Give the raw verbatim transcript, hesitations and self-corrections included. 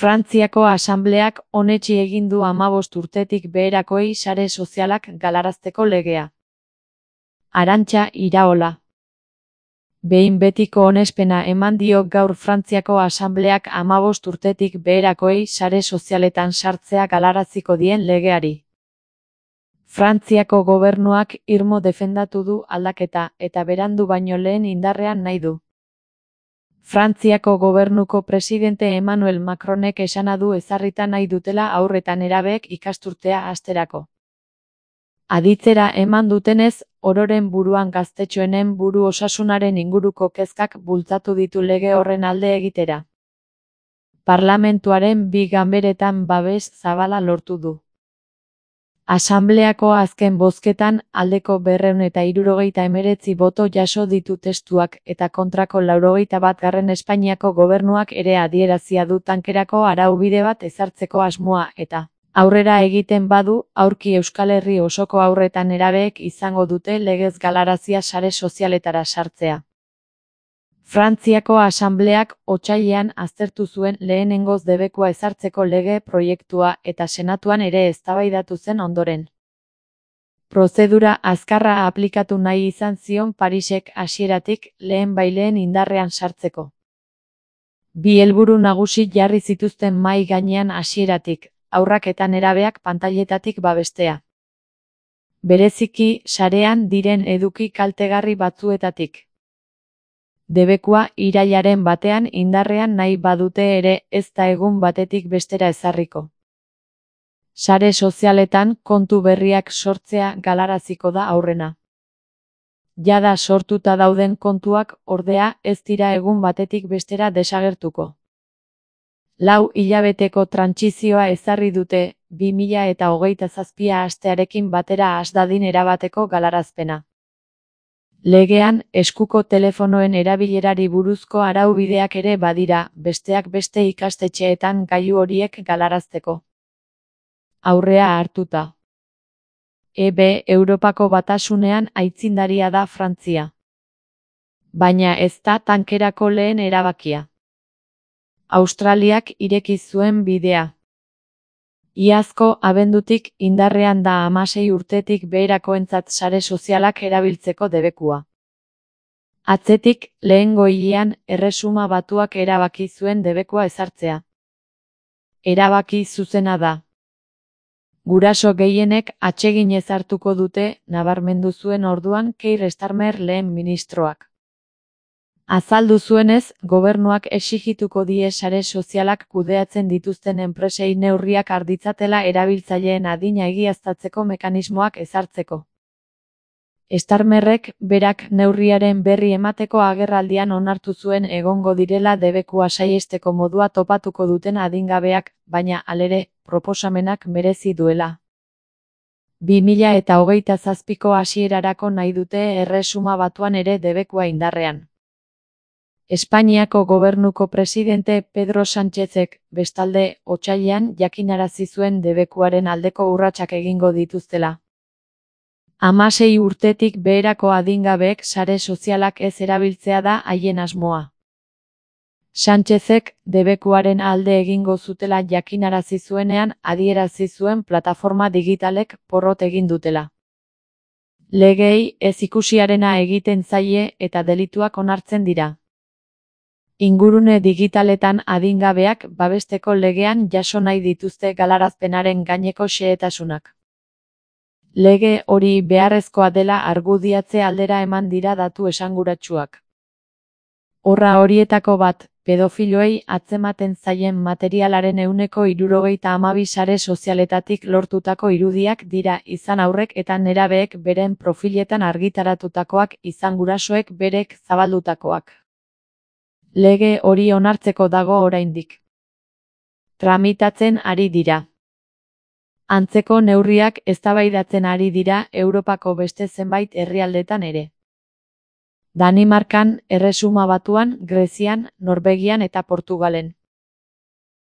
Frantziako Asanbleak onetsi egin du hamabost urtetik beherakoei sare sozialak galarazteko legea. Arantxa Iraola. Behin betiko onespena eman dio gaur Frantziako Asanbleak hamabost urtetik beherakoei sare sozialetan sartzea galaraziko dien legeari. Frantziako gobernuak irmo defendatu du aldaketa eta berandu baino lehen indarrean nahi du. Frantziako gobernuko presidente Emmanuel Macronek esana du ezarrita nahi dutela haur eta nerabeek ikasturtea hasterako. Aditzera eman dutenez, ororen buruan gaztetxoenen buru osasunaren inguruko kezkak bultzatu ditu lege horren alde egitera. Parlamentuaren bi ganberetan babes zabala lortu du. Asanbleako azken bozketan aldeko berrehun eta hirurogeita hemeretzi boto jaso ditu testuak eta kontrako laurogeita batgarren Espainiako gobernuak ere adierazia du tankerako araubide bat ezartzeko asmoa eta aurrera egiten badu, aurki Euskal Herri osoko haur eta nerabeek izango dute legez galarazia sare sozialetara sartzea. Frantziako Asanbleak otsailean aztertu zuen lehenengoz debekua ezartzeko lege proiektua eta senatuan ere eztabaidatu zen ondoren. Prozedura azkarra aplikatu nahi izan zion Parisek hasieratik lehen baileen indarrean sartzeko. Bi helburu nagusi jarri zituzten mahai gainean hasieratik, haurrak eta nerabeak pantailetatik babestea. Bereziki, sarean diren eduki kaltegarri batzuetatik. Debekua irailaren batean indarrean nahi badute ere ez da egun batetik bestera ezarriko. Sare sozialetan kontu berriak sortzea galaraziko da aurrena. Jada sortuta dauden kontuak ordea ez dira egun batetik bestera desagertuko. Lau hilabeteko trantsizioa ezarri dute, bi mila eta hogeita zazpia hastearekin batera has dadin erabateko galarazpena. Legean, eskuko telefonoen erabilerari buruzko araubideak ere badira, besteak beste ikastetxeetan gailu horiek galarazteko. Aurrea hartuta. E B Europako Batasunean aitzindaria da Frantzia. Baina ez da tankerako lehen erabakia. Australiak ireki zuen bidea. Iazko abendutik indarrean da hamasei urtetik beherakoentzat sare sozialak erabiltzeko debekua. Atzetik, lehengo hilean, Erresuma Batuak erabaki zuen debekua ezartzea. Erabaki zuzena da. Guraso gehienek atseginez hartuko dute, nabarmendu zuen orduan Keir Starmer lehen ministroak. Azaldu zuenez, gobernuak exigituko die sare sozialak kudeatzen dituzten enpresei neurriak har ditzatela erabiltzaileen adina egiaztatzeko mekanismoak ezartzeko. Starmerrek berak neurriaren berri emateko agerraldian onartu zuen egongo direla debekua saihesteko modua topatuko duten adingabeak, baina halere, proposamenak merezi duela. bi mila eta hogeita zazpiko hasierarako nahi dute Erresuma Batuan ere debekua indarrean. Espainiako gobernuko presidente Pedro Sánchezek, bestalde, otsailean jakinarazi zuen debekuaren aldeko urratsak egingo dituztela. Hamasei urtetik beherako adingabeek sare sozialak ez erabiltzea da haien asmoa. Sánchezek debekuaren alde egingo zutela jakinarazi zuenean adierazi zuen plataforma digitalek porrot egin dutela. Legeei ez ikusiarena egiten zaie eta delituak onartzen dira. Ingurune digitaletan adingabeak babesteko legean jaso nahi dituzte galarazpenaren gaineko xehetasunak. Lege hori beharrezkoa dela argudiatze aldera eman dira datu esanguratsuak. Horra horietako bat, pedofiloei atzematen zaien materialaren ehuneko hirurogeita hamabi sare sozialetatik lortutako irudiak dira izan haurrek eta nerabeek beren profiletan argitaratutakoak izan gurasoek berek zabaldutakoak. Lege hori onartzeko dago oraindik. Tramitatzen ari dira. Antzeko neurriak eztabaidatzen ari dira Europako beste zenbait herrialdetan ere. Danimarkan, Erresuma Batuan, Grezian, Norvegian eta Portugalen.